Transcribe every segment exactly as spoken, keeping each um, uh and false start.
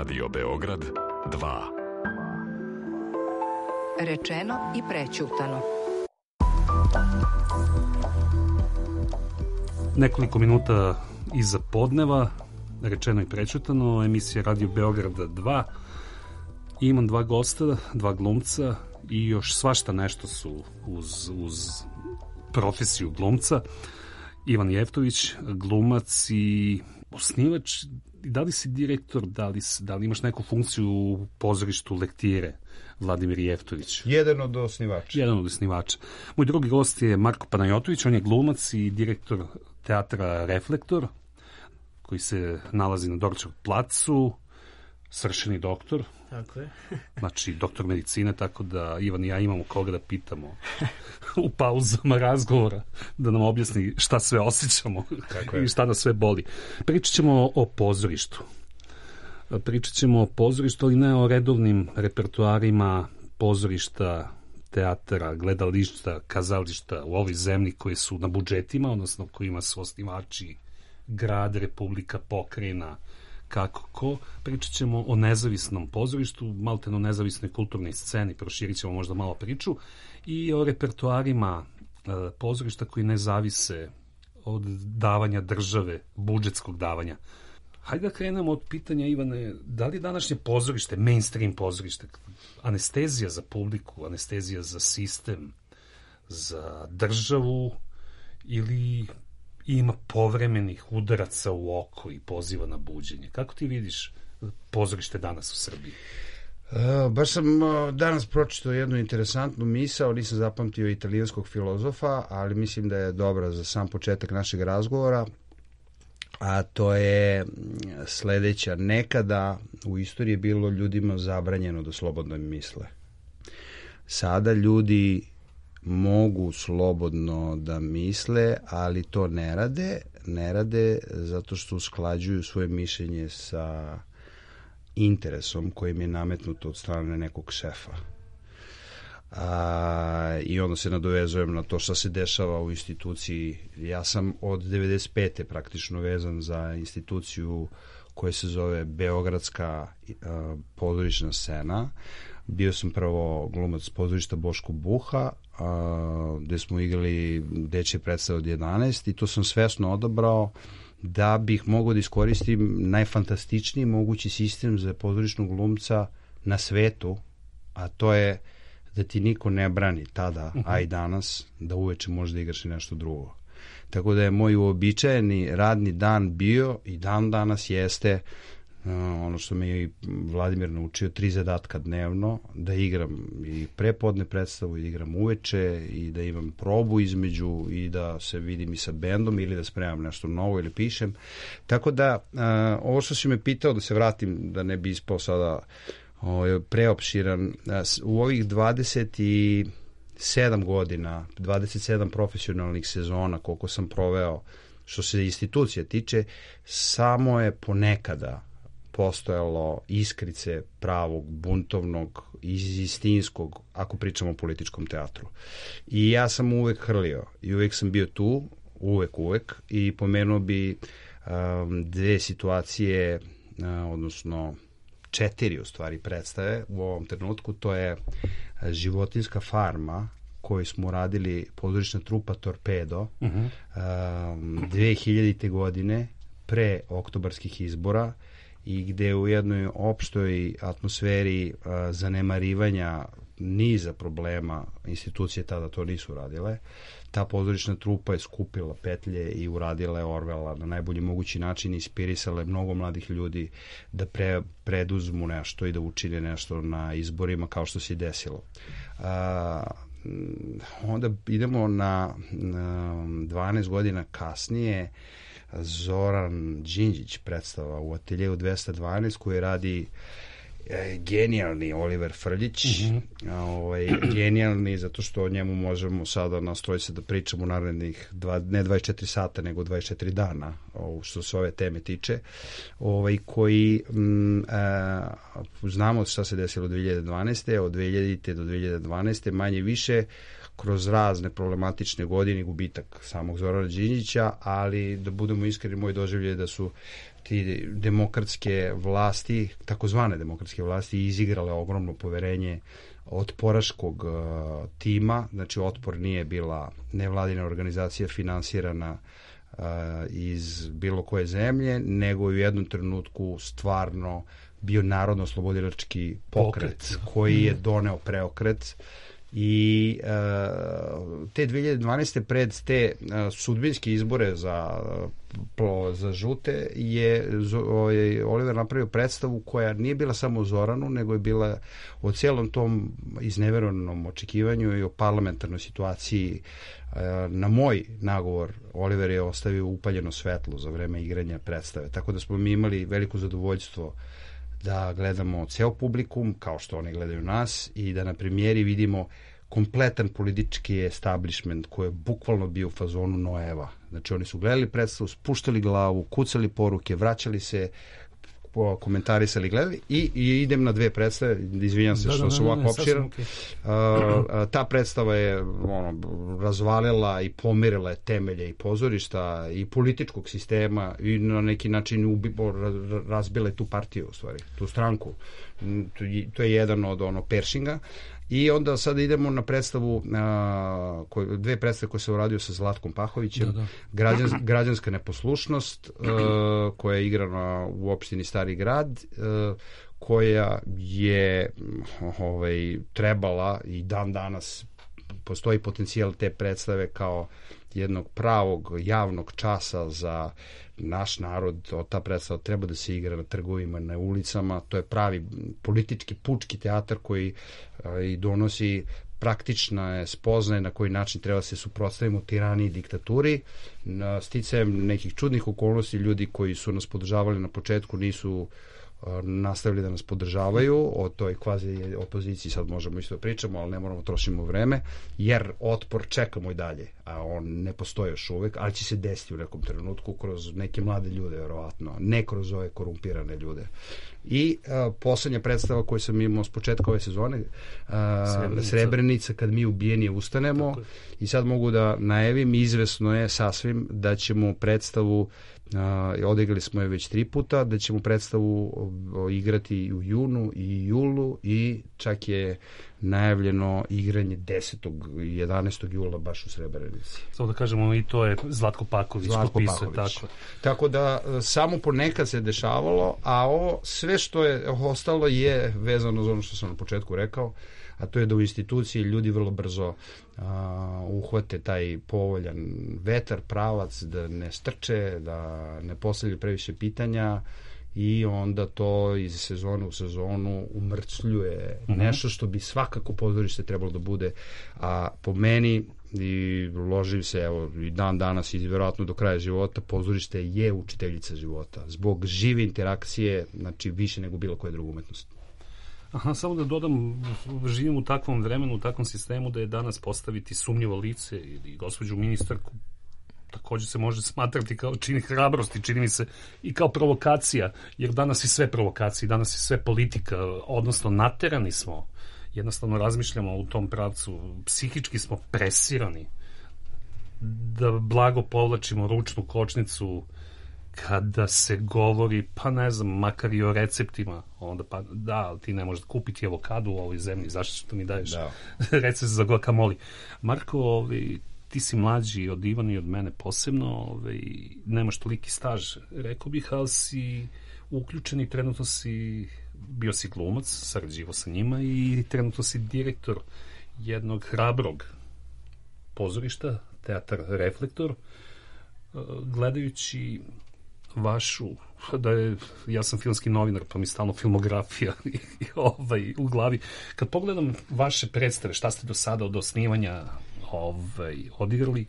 Radio Beograd dva. Rečeno i prećutano. Nekoliko minuta iza podneva, rečeno i prećutano, emisija Radio Beograd dva. Imam dva gosta, dva glumca i još svašta nešto su uz, uz profesiju glumca. Ivan Jeftović, glumac i osnivač. Da li si direktor, da li, da li imaš neku funkciju u pozorištu Lektire, Vladimir Jeftović? Jedan od osnivača. Jedan od osnivača. Moj drugi gost je Marko Panajotović, on je glumac i direktor teatra Reflektor, koji se nalazi na Dorčevom placu, svršeni doktor. Tako je. Znači, doktor medicine, tako da Ivan i ja imamo koga da pitamo u pauzama razgovora, da nam objasni šta sve osjećamo i šta nas sve boli. Pričat ćemo o pozorištu. Pričat ćemo o pozorištu, ali ne o redovnim repertoarima pozorišta, teatara, gledališta, kazališta u ovoj zemlji koje su na budžetima, odnosno kojima su osnivači grad, republika, pokrajina, kako ko. Pričat ćemo o nezavisnom pozorištu, malteno nezavisnoj kulturnoj sceni, proširit ćemo možda malo priču, i o repertoarima e, pozorišta koji ne zavise od davanja države, budžetskog davanja. Hajde da krenemo od pitanja, Ivane, da li današnje pozorište, mainstream pozorište, anestezija za publiku, anestezija za sistem, za državu, ili ima povremenih udaraca u oko i poziva na buđenje? Kako ti vidiš pozorište danas u Srbiji? Uh, baš sam uh, danas pročitao jednu interesantnu misao, nisam zapamtio italijanskog filozofa, ali mislim da je dobra za sam početak našeg razgovora, a to je sledeća. Nekada u istoriji je bilo ljudima zabranjeno da slobodno misle. Sada ljudi mogu slobodno da misle, ali to ne rade. Ne rade zato što usklađuju svoje mišljenje sa interesom kojim je nametnuto od strane nekog šefa. A, I onda se nadovezujem na to što se dešava u instituciji. Ja sam od devedeset pete praktično vezan za instituciju koja se zove Beogradska a, pozorišna scena. Bio sam prvo glumac pozorišta Boško Buha, a, gde smo igrali dečje predstave od jedanaest, i to sam svesno odabrao da bih mogao da iskoristim najfantastičniji mogući sistem za pozorišnog glumca na svetu, a to je da ti niko ne brani tada, a i danas, da uveče možda igraš i nešto drugo. Tako da je moj uobičajeni radni dan bio i dan danas jeste Uh, ono što me je Vladimir naučio, tri zadatka dnevno, da igram i prepodne predstavu, i da igram uveče, i da imam probu između, i da se vidim i sa bendom, ili da spremam nešto novo ili pišem. Tako da, uh, ovo što si me pitao, da se vratim, da ne bi ispao sada uh, preopširan, uh, u ovih dvadeset sedam godina, dvadeset sedam profesionalnih sezona, koliko sam proveo, što se institucija tiče, samo je ponekada postojalo iskrice pravog, buntovnog, istinskog, ako pričamo o političkom teatru. I ja sam uvek hrlio i uvek sam bio tu, uvek, uvek, i pomenuo bi um, dve situacije, uh, odnosno četiri u stvari predstave u ovom trenutku. To je Životinjska farma, koju smo radili, pozorišna trupa Torpedo, uh-huh. um, dve hiljadite godine, pre oktobarskih izbora, i gde u jednoj opštoj atmosferi uh, zanemarivanja niza problema, institucije tada to nisu radile, ta pozorišna trupa je skupila petlje i uradila je Orvela na najbolji mogući način, inspirisala je mnogo mladih ljudi da pre, preduzmu nešto i da učine nešto na izborima, kao što se i desilo. Uh, onda idemo na, na dvanaest godina kasnije, Zoran Đinđić predstava u Ateljevu dvesta dvanaest, koji radi e, genijalni Oliver Frljić. Mm-hmm. ovaj, genijalni zato što o njemu možemo sada nastrojiti se da pričamo u narednih dva, ne dvadeset četiri sata, nego dvadeset četiri dana, o, što se ove teme tiče, ovaj, koji m, a, znamo šta se desilo od dve hiljade dvanaeste. Od dve hiljadite do dve hiljade dvanaeste manje više kroz razne problematične godine i gubitak samog Zorana Đinđića, ali da budemo iskreni, moj doživljaj je da su ti demokratske vlasti, takozvane demokratske vlasti, izigrale ogromno poverenje otporaškog uh, tima. Znači, Otpor nije bila nevladina organizacija finansirana uh, iz bilo koje zemlje, nego u jednom trenutku stvarno bio narodno-oslobodilački pokret, pokret koji je doneo preokret. I uh, te dve hiljade dvanaeste pred te uh, sudbinske izbore za, uh, za žute je ovaj, Oliver napravio predstavu koja nije bila samo o Zoranu, nego je bila o celom tom izneverenom očekivanju i o parlamentarnoj situaciji. Uh, na moj nagovor Oliver je ostavio upaljeno svetlo za vreme igranja predstave, tako da smo mi imali veliko zadovoljstvo da gledamo ceo publikum, kao što oni gledaju nas, i da na premijeri vidimo kompletan politički establishment koji je bukvalno bio u fazonu Noeva. Znači, oni su gledali predstavu, spuštali glavu, kucali poruke, vraćali se, komentarisali, gledali i, i idem na dve predstave, izvinjam se da, što da, su ovako opširan. Okay. Uh, ta predstava je ono, razvalila i pomirila je temelje i pozorišta i političkog sistema i na neki način ubi, razbila je tu partiju, u stvari, tu stranku. To je jedan od ono Pershinga. I onda sada idemo na predstavu, a, koj, dve predstave koje se uradio sa Zlatkom Pahovićem, da, da. Građans, građanska neposlušnost, a, koja je igrana u opštini Stari grad, a, koja je ovaj, trebala i dan danas postoji potencijal te predstave kao jednog pravog javnog časa za naš narod. Ta predstava treba da se igra na trgovima, na ulicama. To je pravi politički, pučki teatar koji a, i donosi praktična spoznaje na koji način treba se suprotstavimo tiraniji i diktaturi. Na sticajem nekih čudnih okolnosti, ljudi koji su nas podržavali na početku nisu nastavili da nas podržavaju. O toj kvazi opoziciji sad možemo isto pričamo, ali ne moramo trošimo vreme, jer Otpor čekamo i dalje, a on ne postoji još uvek, ali će se desiti u nekom trenutku kroz neke mlade ljude, verovatno, ne kroz ove korumpirane ljude. I uh, poslednja predstava koju sam imao s početka ove sezone, uh, Srebrenica. Srebrenica, kad mi ubijenije ustanemo, i sad mogu da najavim, izvesno je sasvim da ćemo predstavu Uh, odigrali smo je već tri puta, da ćemo predstavu uh, igrati u junu i julu i čak je najavljeno igranje desetog i jedanaestog jula baš u Srebrenici. Samo da kažemo, i to je Zlatko Paković Zlatko popisuje. Paković. Tako. Tako da samo ponekad se dešavalo, a ovo sve što je ostalo je vezano za ono što sam na početku rekao, a to je da u instituciji ljudi vrlo brzo a, uhvate taj povoljan vetar, pravac, da ne strče, da ne postavljaju previše pitanja i onda to iz sezone u sezonu umrcljuje mm-hmm. nešto što bi svakako pozorište trebalo da bude, a po meni i ložim se, evo, i dan danas i vjerojatno do kraja života, pozorište je učiteljica života. Zbog žive interakcije, znači više nego bilo koje druga umetnost. Aha, samo da dodam, živim u takvom vremenu, u takvom sistemu da je danas postaviti sumnjivo lice ili gospođu ministarku takođe se može smatrati kao čini hrabrosti, čini mi se i kao provokacija, jer danas je sve provokacija, danas je sve politika, odnosno naterani smo, jednostavno razmišljamo u tom pravcu, psihički smo presirani da blago povlačimo ručnu kočnicu kada se govori, pa ne znam, makar i o receptima, onda pa da, ali ti ne možeš kupiti avokadu u ovoj zemlji, zašto što mi daješ da. recept za guacamole. Marko, ovaj, ti si mlađi od Ivana i od mene posebno, ovaj, nemaš toliki staž, rekao bih, ali si uključen i trenutno si, bio si glumac, sarađivo sa njima i trenutno si direktor jednog hrabrog pozorišta, Teatar Reflektor. Gledajući vašu, da je, ja sam filmski novinar, pa mi stalno filmografija i, i ovaj, u glavi. Kad pogledam vaše predstave, šta ste do sada od osnivanja ovaj, odigrali,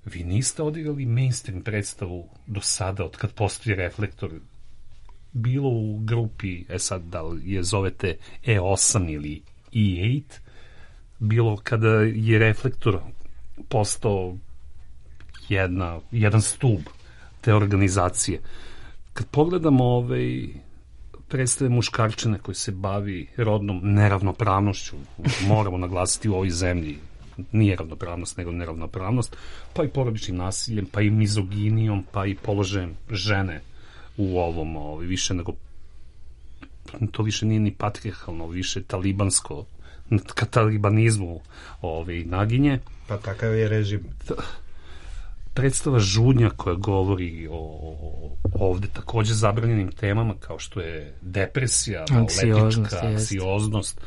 vi niste odigrali mainstream predstavu do sada, od kad postoji Reflektor, bilo u grupi, e sad, da li je zovete E osam ili E osam, bilo kada je Reflektor postao jedna, jedan stub te organizacije. Kad pogledamo ovaj, predstave muškarčine koji se bavi rodnom neravnopravnošću, moramo naglasiti u ovoj zemlji, nije ravnopravnost, nego neravnopravnost, pa i porodičnim nasiljem, pa i mizoginijom, pa i položajem žene u ovom, ovaj, više nego, to više nije ni patrijarhalno, više talibansko, ka talibanizmu ovaj, naginje. Pa takav je režim. Predstava Žudnja koja govori o ovde takođe zabranjenim temama kao što je depresija, maloletička, anksioznost,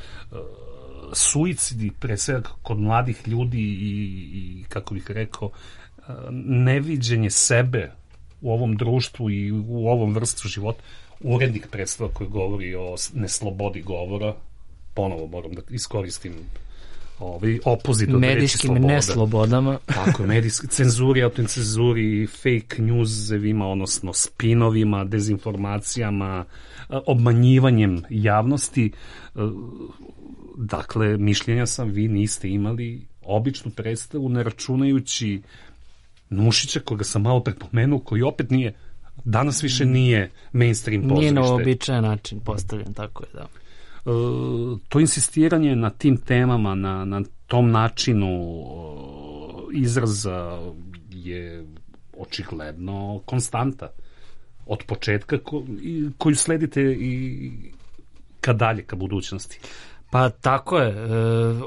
suicidi, pre svega kod mladih ljudi i, i kako bih rekao, neviđenje sebe u ovom društvu i u ovom vrstu života. Urednik predstava koji govori o neslobodi govora, ponovo moram da iskoristim ovaj opozit od medijskim neslobodama. Tako je, medijski cenzuri, autocenzuri, fake newsevima, odnosno spinovima, dezinformacijama, obmanjivanjem javnosti. Dakle, mišljenja sam, vi niste imali običnu predstavu, ne računajući Nušića, koga sam malo prepomenuo, koji opet nije, danas više nije mainstream pozorište. Nije na običajan način postavljen, tako je, da. To insistiranje na tim temama, na, na tom načinu izraza je očigledno konstanta od početka ko, i, koju sledite i ka dalje, ka budućnosti. Pa tako je. E,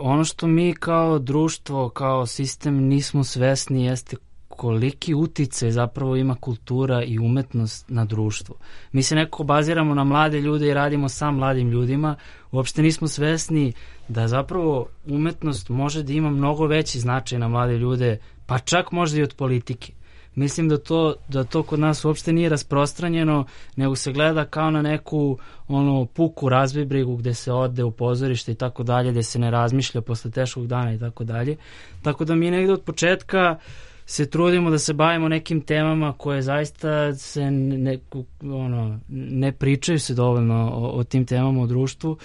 ono što mi kao društvo, kao sistem nismo svesni jeste koliki uticaj zapravo ima kultura i umetnost na društvo. Mi se nekako baziramo na mlade ljude i radimo sa mladim ljudima. Uopšte nismo svesni da zapravo umetnost može da ima mnogo veći značaj na mlade ljude, pa čak možda i od politike. Mislim da to, da to kod nas uopšte nije rasprostranjeno, nego se gleda kao na neku ono, puku razbibrigu gde se ode u pozorište i tako dalje, gde se ne razmišlja posle teškog dana i tako dalje. Tako da mi negde od početka se trudimo da se bavimo nekim temama koje zaista se ne, ono, ne pričaju se dovoljno o, o tim temama u društvu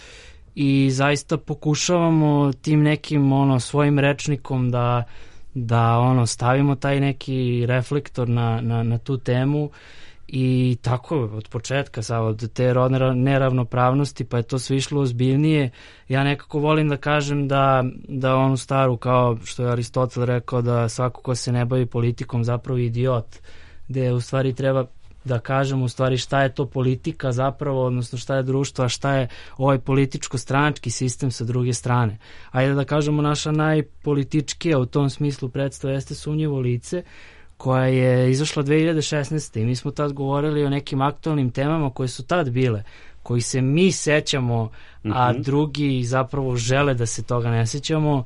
i zaista pokušavamo tim nekim ono, svojim rečnikom da da ono stavimo taj neki reflektor na, na, na tu temu i tako od početka sad, od te rodne neravnopravnosti pa je to sve išlo ozbiljnije. Ja nekako volim da kažem da, da onu staru kao što je Aristotel rekao da svako ko se ne bavi politikom zapravo je idiot, gde u stvari treba da kažemo u stvari šta je to politika zapravo, odnosno šta je društvo, a šta je ovaj političko-stranački sistem sa druge strane. Ajde da kažemo naša najpolitičkija u tom smislu predstava jeste Sumnjivo lice, koja je izašla dve hiljade šesnaeste. i mi smo tad govorili o nekim aktualnim temama koje su tad bile, koji se mi sećamo, a mm-hmm. drugi zapravo žele da se toga ne sećamo.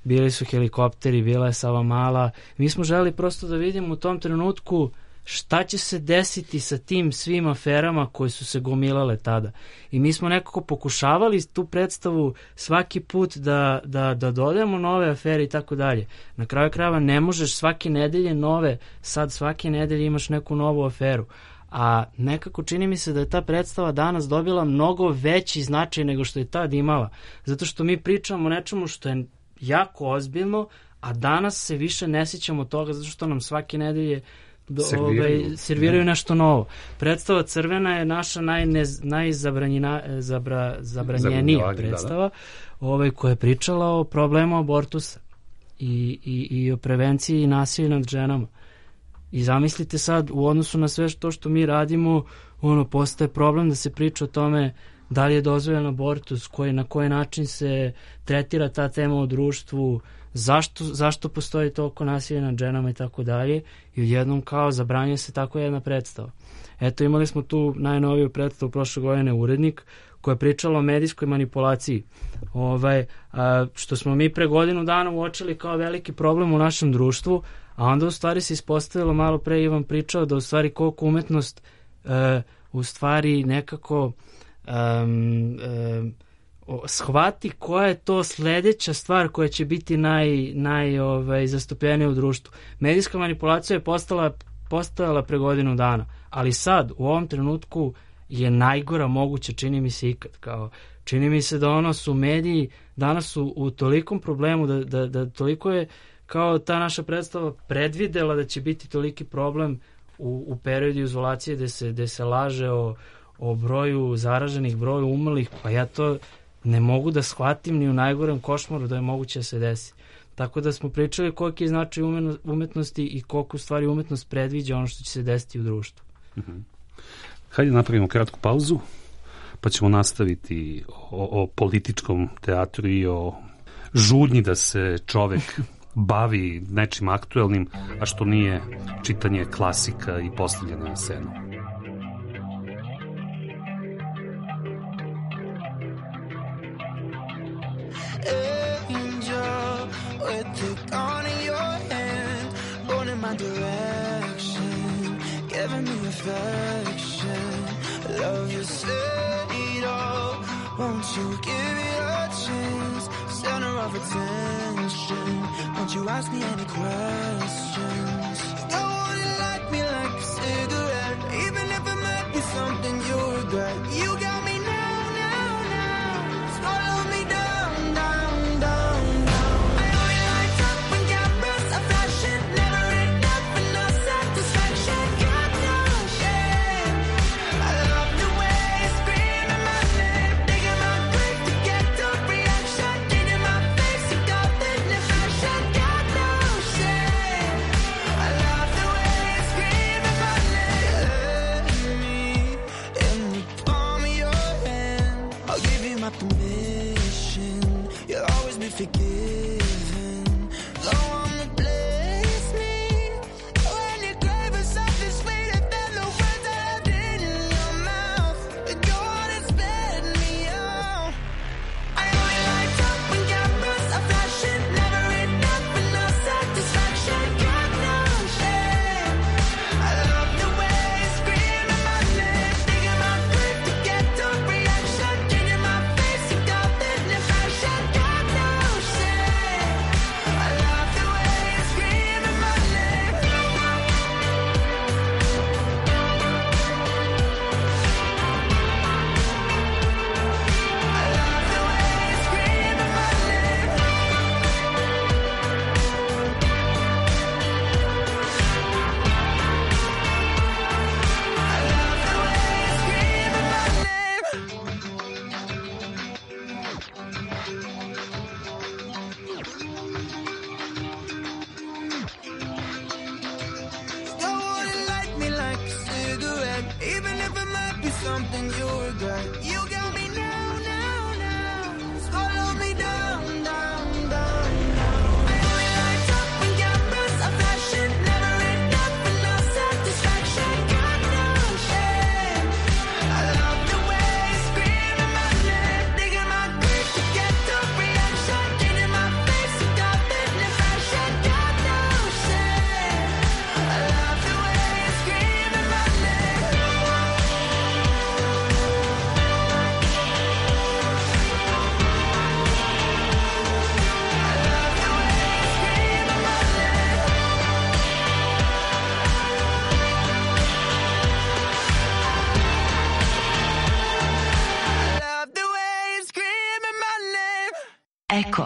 Bili su helikopteri, bila je Savamala. Mi smo želi prosto da vidimo u tom trenutku šta će se desiti sa tim svim aferama koje su se gomilale tada. I mi smo nekako pokušavali tu predstavu svaki put da, da, da dodajemo nove afere i tako dalje. Na kraju krajeva ne možeš svake nedelje nove, sad svake nedelje imaš neku novu aferu. A nekako čini mi se da je ta predstava danas dobila mnogo veći značaj nego što je tad imala. Zato što mi pričamo o nečemu što je jako ozbiljno, a danas se više ne sjećamo toga zato što nam svake nedelje Do, serviraju, ovaj, serviraju nešto novo. Predstava Crvena je naša najzabranjenija predstava, da, da. Ovaj, koja je pričala o problemu abortusa i, i, i o prevenciji nasilja nad ženama. I zamislite sad, u odnosu na sve to što mi radimo, ono, postaje problem da se priča o tome da li je dozvoljen abortus, koji, na koji način se tretira ta tema u društvu, Zašto, zašto postoji toliko nasilja nad ženama i tako dalje i odjednom kao zabranjuje se tako jedna predstava. Eto, imali smo tu najnoviju predstavu prošle godine Urednik koja je pričala o medijskoj manipulaciji, ovaj, a, što smo mi pre godinu dana uočili kao veliki problem u našem društvu, a onda u stvari se ispostavilo, malo pre Ivan pričao, da u stvari koliko umetnost e, u stvari nekako um, um, shvati koja je to sledeća stvar koja će biti naj, naj ovaj, zastupljenija u društvu. Medijska manipulacija je postala, postojala pre godinu dana, ali sad, u ovom trenutku je najgora moguća, čini mi se ikad. Kao, čini mi se da ono su mediji danas su u tolikom problemu, da, da, da toliko je kao ta naša predstava predvidela da će biti toliki problem u, u periodu izolacije gde se, gde se laže o, o broju zaraženih, broju umrlih, pa ja to ne mogu da shvatim ni u najgorem košmaru da je moguće da se desi. Tako da smo pričali koliki je značaj umetnosti i koliko u stvari umetnost predviđa ono što će se desiti u društvu. Mm-hmm. Hajde napravimo kratku pauzu, pa ćemo nastaviti o, o političkom teatru i o žudnji da se čovek bavi nečim aktuelnim, a što nije čitanje klasika i postavljanje na scenu. Angel, with the gun in your hand, going in my direction, giving me affection, love you said it all, won't you give me a chance, center of attention, won't you ask me any questions, no one like me like a cigarette, even if it might be something you regret, you got me now, now, now, swallow me down, down, down, down, I only light up when cameras are flashing, never enough for no satisfaction, got no shame, I love the way you scream in my name, digging my grave to get the reaction, in my face you got the fashion, got no shame, I love the way you scream in my name, let me in the palm of your hand, I'll give you my permission, you'll always be forgiven, go on and bless me, when you crave for something sweeter than the words that I did in your mouth, go on and spit me out, I only light up when cameras are flashing, never enough for no satisfaction, got no shame, I love the way you scream in my name, digging my grave to get the reaction, in my face you got the fashion, got no shame, I love the way you scream in my name, I love the way you scream in my name, I love the way you scream in my name. No one like me like a cigarette, even if it might be something you regret. You got me now, now, now. Swallow me down, down, down, down. I only light up when cameras are flashing, never enough for no satisfaction. Got no shame. I love the way you scream in my name, digging my grave to get the reaction, in my face you got the fashion. Got no shame. I love the way you scream in my name. I love the way you scream in my name. Eko.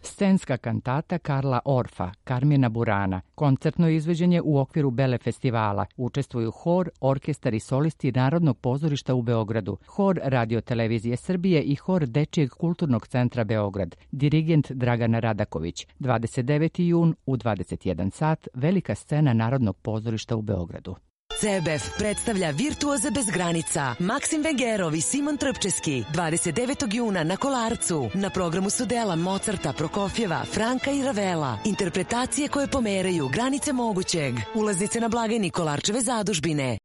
Scenska kantata Karla Orfa, Karmina Burana, koncertno izvođenje u okviru Bele festivala. Učestvuju hor, orkestar i solisti Narodnog pozorišta u Beogradu, hor Radio-televizije Srbije i hor Dečijeg kulturnog centra Beograd. Dirigent Dragana Radaković. dvadeset deveti jun u dvadeset jedan sat, velika scena Narodnog pozorišta u Beogradu. C B F predstavlja Virtuoze bez granica, Maksim Vengerov i Simon Trpčeski, dvadeset devetog juna na Kolarcu. Na programu su dela Mozarta, Prokofjeva, Franka i Ravela. Interpretacije koje pomeraju granice mogućeg. Ulaznice na blagajni Kolarčeve zadužbine.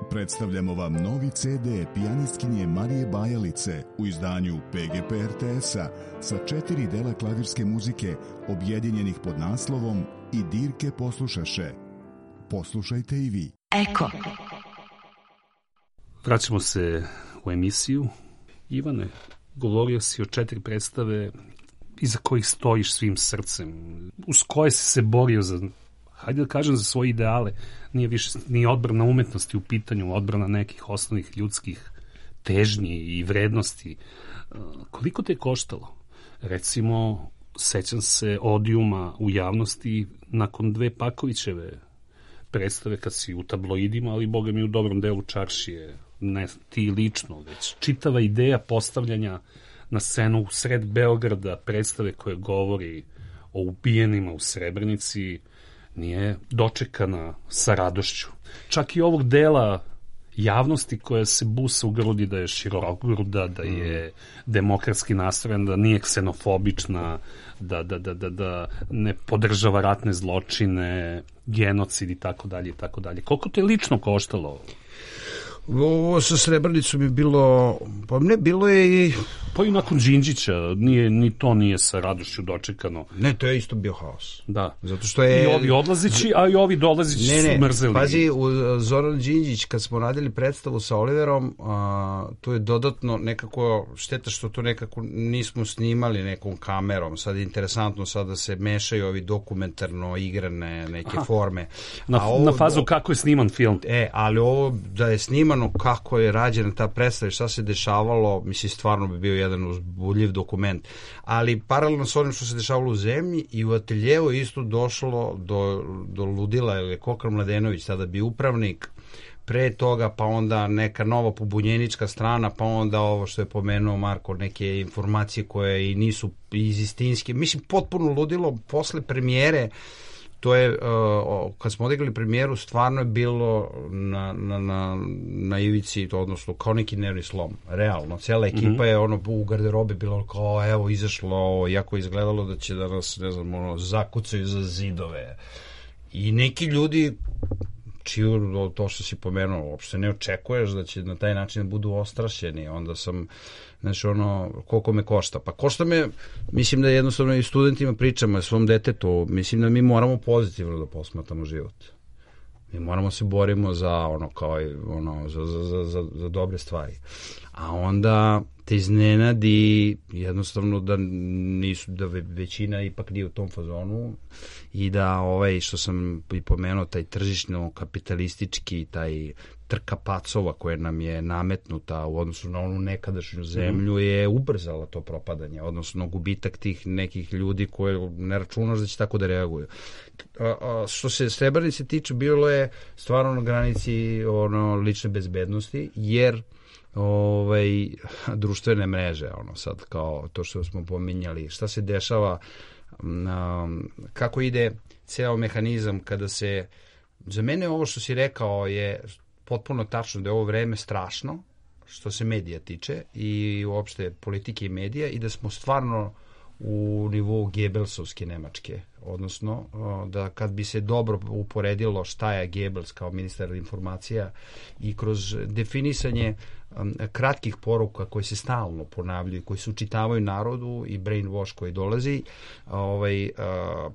Predstavljamo vam novi C D pijanistkinje Marije Bajalice u izdanju P G P R T S-a sa četiri dela klavirske muzike objedinjenih pod naslovom I dirke poslušaše. Poslušajte i vi. Eko. Vraćamo se u emisiju. Ivane, govorio si o četiri predstave iza kojih stojiš svim srcem, uz koje si se borio za, hajde da kažem, za svoje ideale. Nije više ni odbrana umetnosti u pitanju, odbrana nekih osnovnih ljudskih težnji i vrednosti. Koliko te je koštalo? Recimo, sećam se odijuma u javnosti nakon dve Pakovićeve predstave kad si u tabloidima, ali boga mi u dobrom delu čaršije ne ti lično, već čitava ideja postavljanja na scenu u sred Beograda predstave koje govori o ubijenima u Srebrenici nije dočekana sa radošću. Čak i ovog dela javnosti koja se busa u grudi da je širokogruda, da je demokratski nastrojen, da nije ksenofobična, da, da, da, da, da ne podržava ratne zločine, genocid i tako dalje i tako dalje. Koliko to je lično koštalo? Ovo sa Srebrenicom je bilo, pa ne, bilo je i... Pa i nakon Đinđića, nije, ni to nije sa radošću dočekano. Ne, to je isto bio haos. Da. Zato što je... I ovi odlazići, a i ovi dolazići ne, ne, su mrzeli. Pazi, u Zoran Đinđić, kad smo radili predstavu sa Oliverom, a, to je dodatno nekako, šteta što to nekako nismo snimali nekom kamerom. Sad je interesantno sad da se mešaju ovi dokumentarno igrane neke Aha. forme. Na, ovo, na fazu kako je sniman film. E, ali ovo da je snimano kako je rađena ta predstava i šta se dešavalo, mislim, stvarno bi bio jedan uzbudljiv dokument. Ali paralelno s onim što se dešavalo u zemlji i u ateljevu isto došlo do, do ludila, ili Kokar Mladenović, sada bi upravnik, pre toga pa onda neka nova pobunjenička strana, pa onda ovo što je pomenuo Marko, neke informacije koje i nisu iz istinske. Mislim, potpuno ludilo posle premijere. To je, uh, kad smo odigrali premijeru, stvarno je bilo na, na, na, na ivici, to odnosno kao neki nervni slom, realno. Cijela ekipa mm-hmm. je ono u garderobi bilo kao, evo, izašlo, jako izgledalo da će da nas, ne znam, ono, zakucaju za zidove. I neki ljudi, čiju to što si pomenuo, uopšte ne očekuješ da će na taj način budu ostrašćeni. Onda sam, znači, ono, koliko me košta? Pa košta me, mislim da jednostavno i studentima pričamo o svom detetu, mislim da mi moramo pozitivno da posmatramo život. Mi moramo se borimo za ono, kao ono, za, za, za, za dobre stvari. A onda te iznenadi jednostavno da nisu, da većina ipak nije u tom fazonu i da ovaj, što sam i pomenuo, taj tržišno kapitalistički, taj trka pacova koja nam je nametnuta u odnosu na onu nekadašnju zemlju je ubrzala to propadanje, odnosno gubitak tih nekih ljudi koje ne računaš da će tako da reaguju. A, a, što se Srebrenice tiče, bilo je stvarno na granici ono, lične bezbednosti, jer ovaj, društvene mreže, ono sad kao to što smo pominjali, šta se dešava, um, kako ide ceo mehanizam kada se, za mene ovo što si rekao je potpuno tačno da je ovo vreme strašno što se medija tiče i uopšte politike i medija i da smo stvarno u nivou Gebelsovske Nemačke, odnosno da kad bi se dobro uporedilo šta je Gebels kao ministar informacija i kroz definisanje um, kratkih poruka koje se stalno ponavljaju, koji se učitavaju narodu i brainwash koji dolazi, ovaj, uh,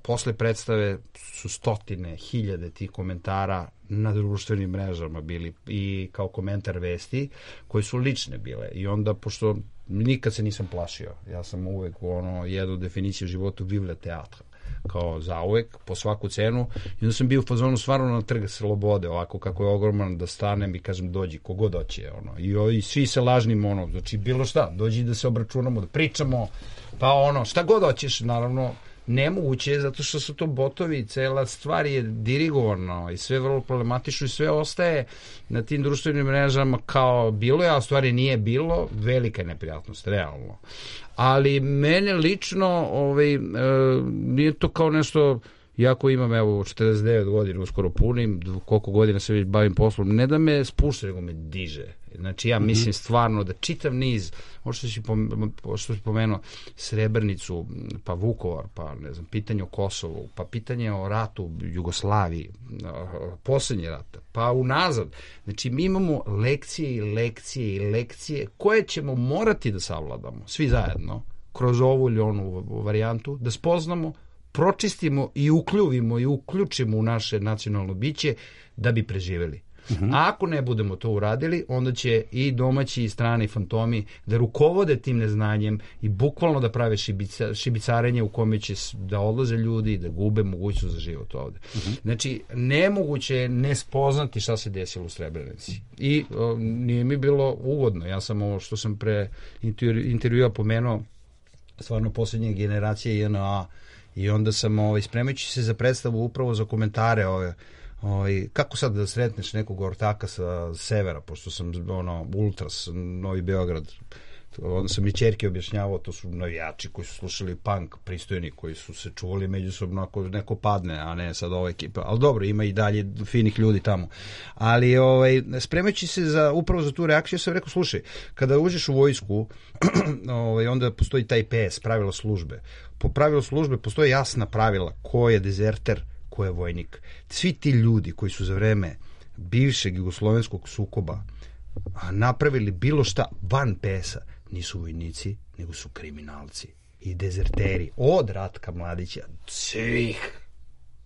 posle predstave su stotine, hiljade tih komentara na društvenim mrežama bili i kao komentar vesti koje su lične bile i onda pošto nikad se nisam plašio, ja sam uvek ono, jednu definiciju života vive teatra, kao zauvek, po svaku cenu i onda sam bio u fazonu stvarno na Trg Slobode, ovako kako je ogroman da stanem i kažem dođi, kogod doće ono. I, i svi se lažnim ono, znači bilo šta, dođi da se obračunamo, da pričamo, pa ono, šta god hoćeš, naravno nemoguće je zato što su to botovi, cela stvar je dirigovano i sve vrlo problematično i sve ostaje na tim društvenim mrežama kao bilo je, a u stvari nije bilo, velika je neprijatnost, realno. Ali mene lično ovaj, e, nije to kao nešto, jako imam evo četrdeset devet godina, uskoro punim, koliko godina se već bavim poslom, ne da me spušta, nego me diže. Znači ja mislim stvarno da čitav niz, ovo što si pomenuo, što si pomenuo Srebrenicu, pa Vukovar, pa ne znam, pitanje o Kosovu, pa pitanje o ratu u Jugoslaviji, poslednji rat, pa unazad. Znači mi imamo lekcije i lekcije i lekcije koje ćemo morati da savladamo, svi zajedno, kroz ovu ili onu varijantu, da spoznamo, pročistimo i ukljuvimo i uključimo u naše nacionalno biće da bi preživeli. Uh-huh. A ako ne budemo to uradili, onda će i domaći i strani fantomi da rukovode tim neznanjem i bukvalno da prave šibica, šibicarenje u kome će da odlaze ljudi i da gube mogućnost za život ovde. Uh-huh. Znači, nemoguće je ne spoznati šta se desilo u Srebrenici. I o, nije mi bilo ugodno. Ja sam ovo što sam pre intervjua pomenuo, stvarno posljednje generacije J N A, i onda sam ovaj, spremajući se za predstavu upravo za komentare ove ovaj, kako sad da sretneš nekog ortaka sa severa, pošto sam ono, ultras, Novi Beograd, onda sam i ćerke objašnjavao, to su navijači koji su slušali punk, pristojni, koji su se čuvali međusobno ako neko padne, a ne sad ova ekipa. Ali dobro, ima i dalje finih ljudi tamo. Ali ovaj, spremajući se za, upravo za tu reakciju, sam rekao, slušaj, kada uđeš u vojsku, ovaj, onda postoji taj P S, pravilo službe. Po pravilu službe postoje jasna pravila ko je dezerter, ko je vojnik. Svi ti ljudi koji su za vreme bivšeg jugoslovenskog sukoba napravili bilo šta van P S-a, nisu vojnici, nego su kriminalci i dezerteri od Ratka Mladića, svih.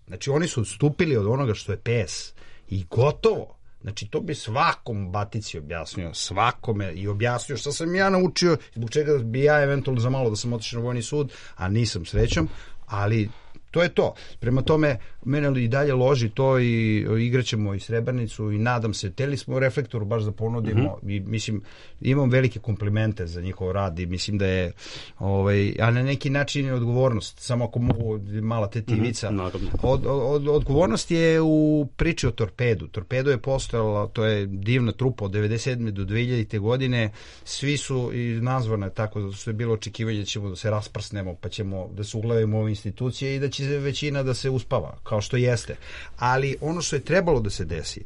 Znači oni su odstupili od onoga što je P S i gotovo. Znači to bi svakom Batici objasnio, svakome, i objasnio šta sam ja naučio, zbog čega bi ja eventualno za malo da sam otišao na vojni sud, a nisam srećom, ali to je to. Prema tome, mene i dalje loži to i igraćemo i Srebrnicu i nadam se, teli smo Reflektoru baš da ponudimo mm-hmm. i mislim, imam velike komplimente za njihov rad i mislim da je, ovaj, a na neki način je odgovornost, samo ako mogu mala tetivica. Mm-hmm. Od, od, odgovornost je u priči o Torpedu. Torpedo je postojala, to je divna trupa od devedeset sedme do dve hiljadite godine, svi su i nazvane tako da su je bilo očekivanje da ćemo da se rasprsnemo, pa ćemo da se uglavimo ove institucije i da će većina da se uspava, kao što jeste. Ali ono što je trebalo da se desi,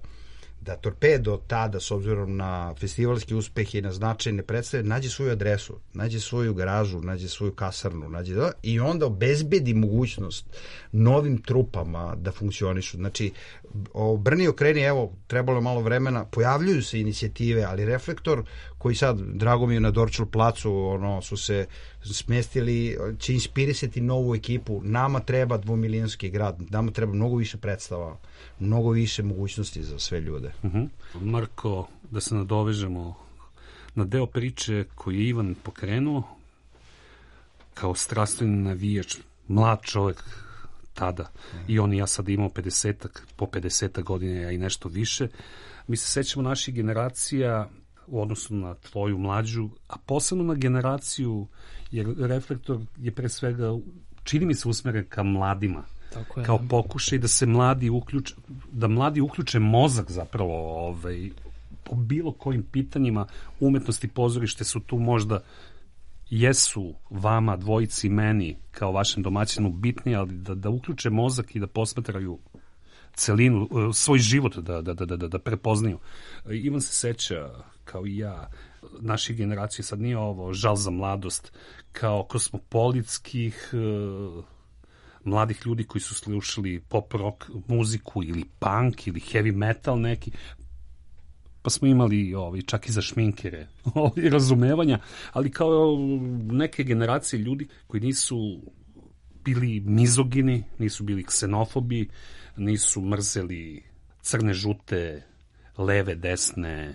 da Torpedo tada, s obzirom na festivalski uspeh i na značajne predstave, nađe svoju adresu, nađe svoju garažu, nađe svoju kasarnu, nađe da, i onda obezbedi mogućnost novim trupama da funkcionišu. Znači, obrni okreni, evo, trebalo je malo vremena, pojavljuju se inicijative, ali Reflektor, koji sad, drago mi je, na Dorčel placu, ono, su se smestili, će inspirisati novu ekipu. Nama treba dvomilijonski grad, nama treba mnogo više predstava, mnogo više mogućnosti za sve ljude. Uh-huh. Marko, da se nadovežemo na deo priče koji je Ivan pokrenuo, kao strastveni navijač, mlad čovjek tada, uh-huh. i on i ja sad imao pedesetak, po pedesetak godina, a i nešto više. Mi se sećamo naših generacija u odnosu na tvoju mlađu, a posebno na generaciju, jer Reflektor je pre svega, čini mi se, usmeren ka mladima. Tako je. Kao pokušaj da se mladi uključe, da mladi uključe mozak zapravo, ovaj, po bilo kojim pitanjima. Umetnosti, pozorište su tu možda, jesu vama dvojici, meni kao vašem domaćinu bitni, ali da, da uključe mozak i da posmatraju celinu, svoj život da, da, da, da, da prepoznaju. Ivan se seća, kao i ja, naših generacija, sad nije ovo žal za mladost, kao kosmopolitskih uh, mladih ljudi koji su slušali pop rock muziku ili punk ili heavy metal neki, pa smo imali ovaj, čak i za šminkere ovaj, razumevanja, ali kao neke generacije ljudi koji nisu bili mizogini, nisu bili ksenofobi, nisu mrzeli crne, žute, leve, desne,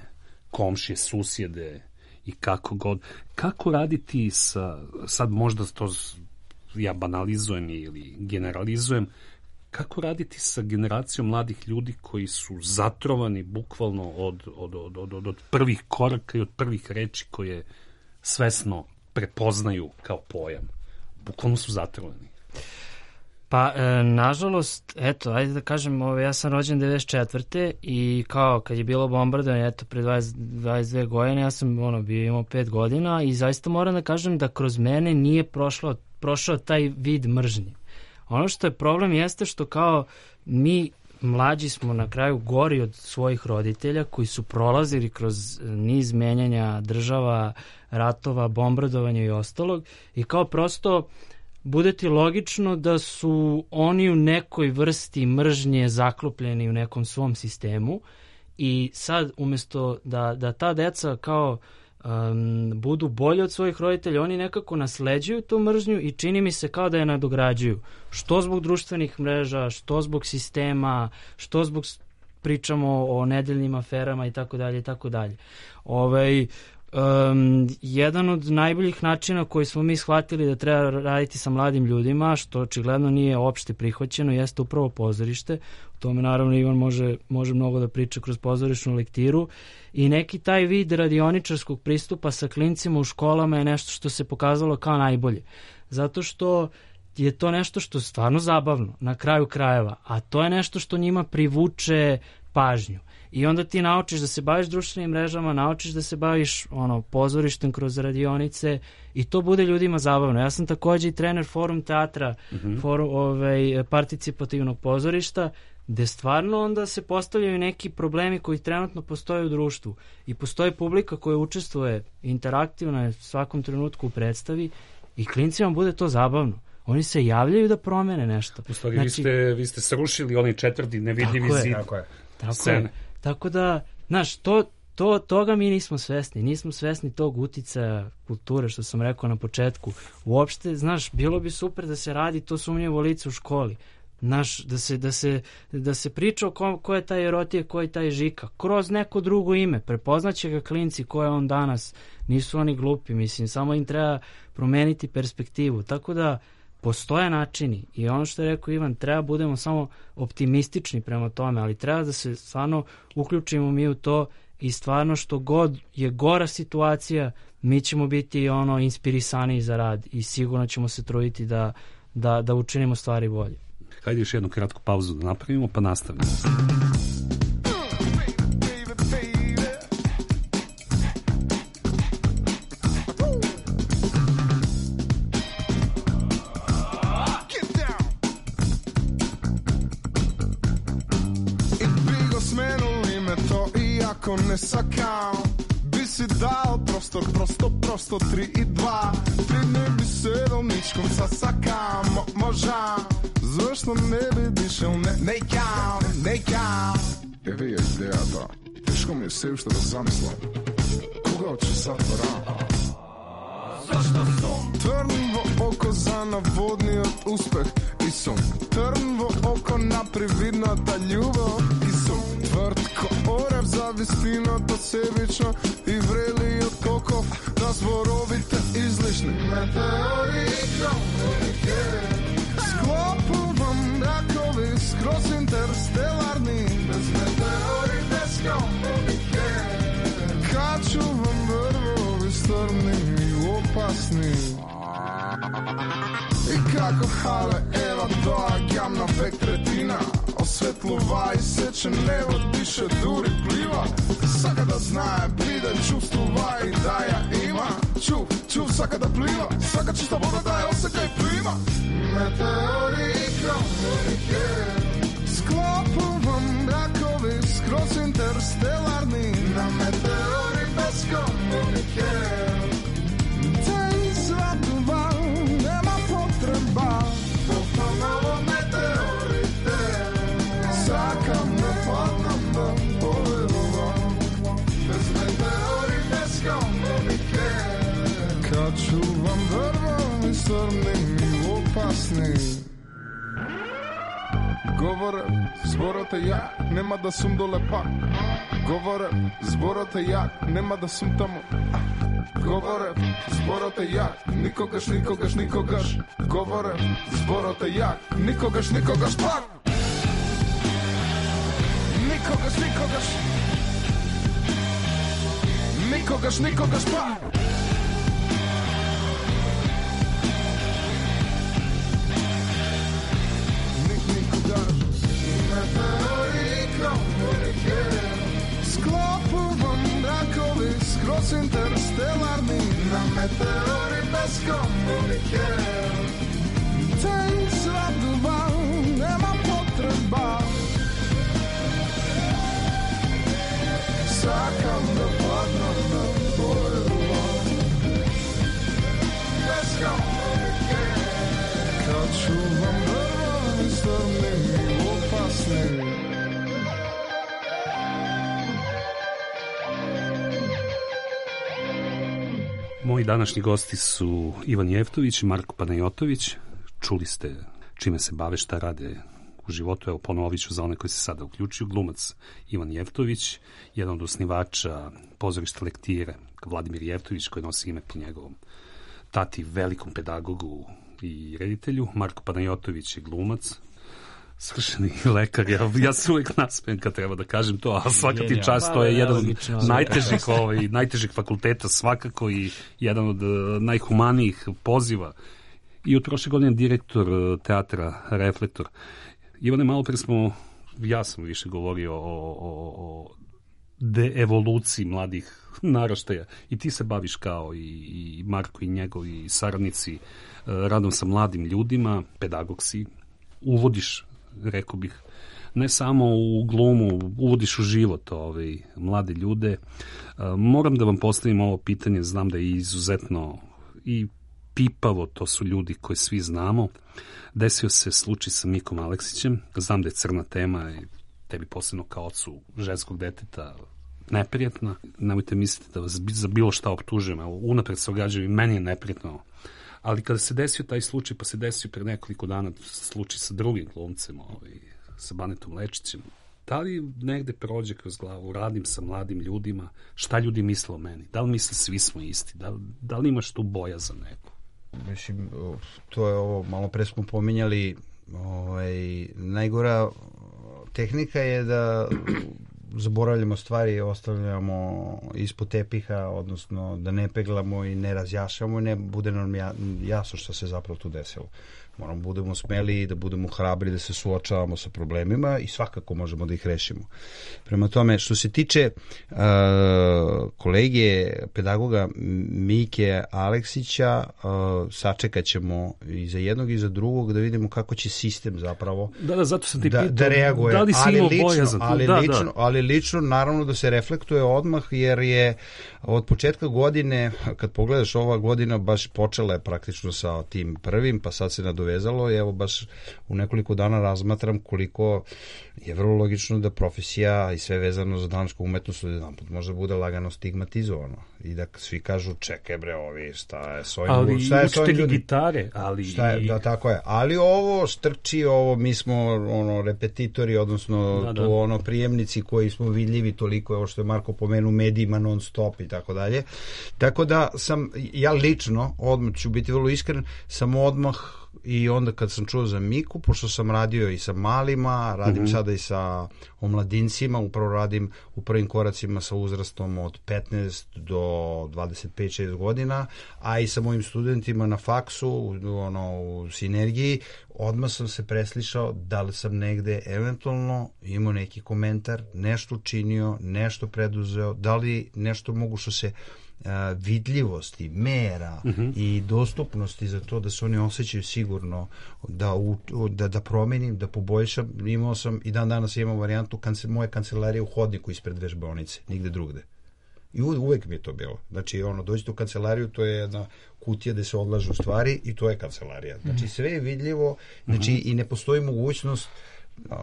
komšije, susjede i kako god. Kako raditi sa, sad možda to ja banalizujem ili generalizujem, kako raditi sa generacijom mladih ljudi koji su zatrovani bukvalno od, od, od, od, od prvih koraka i od prvih reči koje svesno prepoznaju kao pojam. Bukvalno su zatrovani. Pa, e, nažalost, eto, ajde da kažem, ove, ja sam rođen devedeset četvrte i kao kad je bilo bombardovanje, eto, pre dvadeset, dvadeset dve godine, ja sam ono, bio imao pet godina i zaista moram da kažem da kroz mene nije prošlo, prošao taj vid mržnje. Ono što je problem jeste što kao mi mlađi smo na kraju gori od svojih roditelja koji su prolazili kroz niz menjanja država, ratova, bombardovanja i ostalog i kao prosto bude ti logično da su oni u nekoj vrsti mržnje zaklopljeni u nekom svom sistemu i sad umjesto da, da ta deca kao um, budu bolje od svojih roditelja, oni nekako nasleđuju tu mržnju i čini mi se kao da je nadograđuju. Što zbog društvenih mreža, što zbog sistema, što zbog pričamo o nedeljnim aferama i tako dalje i tako dalje. Ovaj Um, jedan od najboljih načina koji smo mi shvatili da treba raditi sa mladim ljudima, što očigledno nije opšte prihvaćeno, jeste upravo pozorište. O tome naravno Ivan može, može mnogo da priča kroz pozorišnu lektiru i neki taj vid radioničarskog pristupa sa klincima u školama je nešto što se pokazalo kao najbolje. Zato što je to nešto što je stvarno zabavno na kraju krajeva, a to je nešto što njima privuče pažnju. I onda ti naučiš da se baviš društvenim mrežama, naučiš da se baviš ono pozorištem kroz radionice i to bude ljudima zabavno. Ja sam takođe i trener Forum teatra, mm-hmm. forum, ovaj, participativnog pozorišta, gde stvarno onda se postavljaju neki problemi koji trenutno postoje u društvu i postoji publika koja učestvuje interaktivno je svakom trenutku u predstavi i klincima bude to zabavno. Oni se javljaju da promene nešto. U stvari, znači, vi, ste, vi ste srušili onaj četvrti nevidljivi zid. Tako je. Tako je. Tako da, znaš, to, to, toga mi nismo svesni. Nismo svesni tog uticaja kulture, što sam rekao na početku. Uopšte, znaš, bilo bi super da se radi to sumnjivo lice u školi. Znaš, da se, da se, da se priča o ko, ko je taj Erotije, ko je taj Žika. Kroz neko drugo ime. Prepoznaće ga klinci ko je on danas. Nisu oni glupi, mislim. Samo im treba promeniti perspektivu. Tako da, postoje načini i ono što je rekao Ivan, treba budemo samo optimistični prema tome, ali treba da se stvarno uključimo mi u to i stvarno što god je gora situacija, mi ćemo biti ono inspirisaniji za rad i sigurno ćemo se truditi da, da, da učinimo stvari bolje. Hajde još jednu kratku pauzu da napravimo pa nastavimo. Ne sakam, bi si dao prostor, prosto, prosto, tri i dva. Tri dni bi sedom ničkom sasakam, Mo, možam, zašto ne bi dišel, ne, nekam, nekam. Evo je ideja ta, teško mi je sve što da zamislam, koga hoće zatvora? Zašto sam trnvo oko za navodni od uspeh i sam trnvo oko naprividno da ljubav i sam tvrd ko orev zavistino to sebično i vreli od kokov da zborovite izlišni meteori i komunike sklopu vam rakovi skroz interstelarni bez meteori, bez komunike kad ću vam vrvovi strni i opasni i kako hale Eva doa gamna vektretina osvetluva i seče nebo diše duri pliva svaka da znaje pride čuvstuva i da ja ima čuv, čuv svaka da pliva svaka čista voda daje osjećaj plima meteori i komunike sklopu vam rakovi skroz interstelarni na meteori bez komunike Zvatova, nema potreba ponovo meteorite sakam ne padam da povedovam bez meteori, bez komunike kad ću vam drvom i strnim i opasni govore, zborote ja nema da sum dole pak govore, zborote ja nema da sum tamo govore, zborote jak, nikogaš, nikogaš, nikogaš govore, zborote jak, nikogaš, nikogaš pak nikogaš, nikogaš nikogaš, nikogaš pak nik, nikogaš meteori i komunike sklopu vam rakovi skroz interstelarni na meteori bez komunike te svatova nema potreba sakam da padnem na pojedova bez komunike kad ću vam vrvovi strni i opasni Moji današnji gosti su Ivan Jeftović i Marko Panajotović. Čuli ste čime se bave, šta rade u životu. Evo, ponovit ću za one koji se sada uključuju. Glumac Ivan Jeftović, jedan od osnivača pozorišta Lektire, Vladimir Jeftović, koji nosi ime po njegovom tati, velikom pedagogu i reditelju. Marko Panajotović je glumac, svršeni lekar. Ja, ja se uvijek nasmijem kad treba da kažem to, a svaka ti čast, to je jedan od najtežih, ovaj, najtežih fakulteta svakako i jedan od uh, najhumanijih poziva i od prošle godine direktor teatra Reflektor. Ivane, malo pre smo, ja sam više govorio o, o, o deevoluciji mladih naraštaja i ti se baviš kao i, i Marko i njegovi saradnici radom sa mladim ljudima, pedagog si, uvodiš, rekao bih, ne samo u glumu, uvodiš u život ovaj, mlade ljude. Moram da vam postavim ovo pitanje, znam da je izuzetno i pipavo, to su ljudi koje svi znamo. Desio se slučaj sa Mikom Aleksićem, znam da je crna tema i tebi posebno kao ocu ženskog deteta neprijatna. Nemojte misliti da vas za bilo šta optužujem, unapred se ogađaju i meni je neprijatno. Ali kada se desio taj slučaj, pa se desio pre nekoliko dana slučaj sa drugim glumcem, ovaj, sa Banetom Lečićem, da li negde prođe kroz glavu, radim sa mladim ljudima, šta ljudi misle o meni? Da li misle svi smo isti? Da, da li imaš tu bojazan neku? Mislim, to je ovo, malo pre smo pominjali, ovaj, najgora tehnika je da zaboravljamo stvari i ostavljamo ispod tepiha, odnosno da ne peglamo i ne razjašamo i ne bude nam jasno što se zapravo tu desilo. Moramo budemo smeli, da budemo hrabri, da se suočavamo sa problemima i svakako možemo da ih rešimo. Prema tome, što se tiče uh, kolege, pedagoga Mike Aleksića, uh, sačekat ćemo i za jednog i za drugog da vidimo kako će sistem zapravo da, da, zato sam ti da, pitao, da reaguje. Da li si imao bojazan? Ali, da, lično, da. ali lično, naravno da se reflektuje odmah, jer je od početka godine, kad pogledaš, ova godina baš počela je praktično sa tim prvim, pa sad se nadovezalo i evo baš u nekoliko dana razmatram koliko je vrlo logično da profesija i sve vezano za dramsku umetnost jedanput može bude lagano stigmatizovano i da svi kažu čekaj bre ovi šta je s ovim, ali šta je s ovim ljudi? Gitare, ali šta je, da, tako je, ali ovo strči, ovo mi smo ono repetitori, odnosno da, da. to ono prijemnici koji smo vidljivi toliko, ovo što je Marko pomenuo, medijima non stop i tako dalje, tako da sam ja lično, odmah ću biti vrlo iskren, sam odmah i onda kad sam čuo za Miku, pošto sam radio i sa malima, radim mm-hmm. sada i sa omladincima, upravo radim u prvim koracima sa uzrastom od petnaest do dvadeset pet šest godina, a i sa mojim studentima na faksu, ono, u sinergiji, odmah sam se preslišao da li sam negde eventualno imao neki komentar, nešto učinio, nešto preduzeo, da li nešto mogu što se vidljivosti, mera uh-huh. i dostupnosti za to da se oni osjećaju sigurno da, u, da, da promenim, da poboljšam. Imao sam i dan danas imam varijantu kance, moje kancelarije u hodniku ispred vežbaonice, nigde drugde. I uvek mi je to bilo. Znači, ono, dođete u kancelariju, to je jedna kutija gde se odlažu stvari i to je kancelarija. Znači, sve je vidljivo, znači, uh-huh. i ne postoji mogućnost Uh,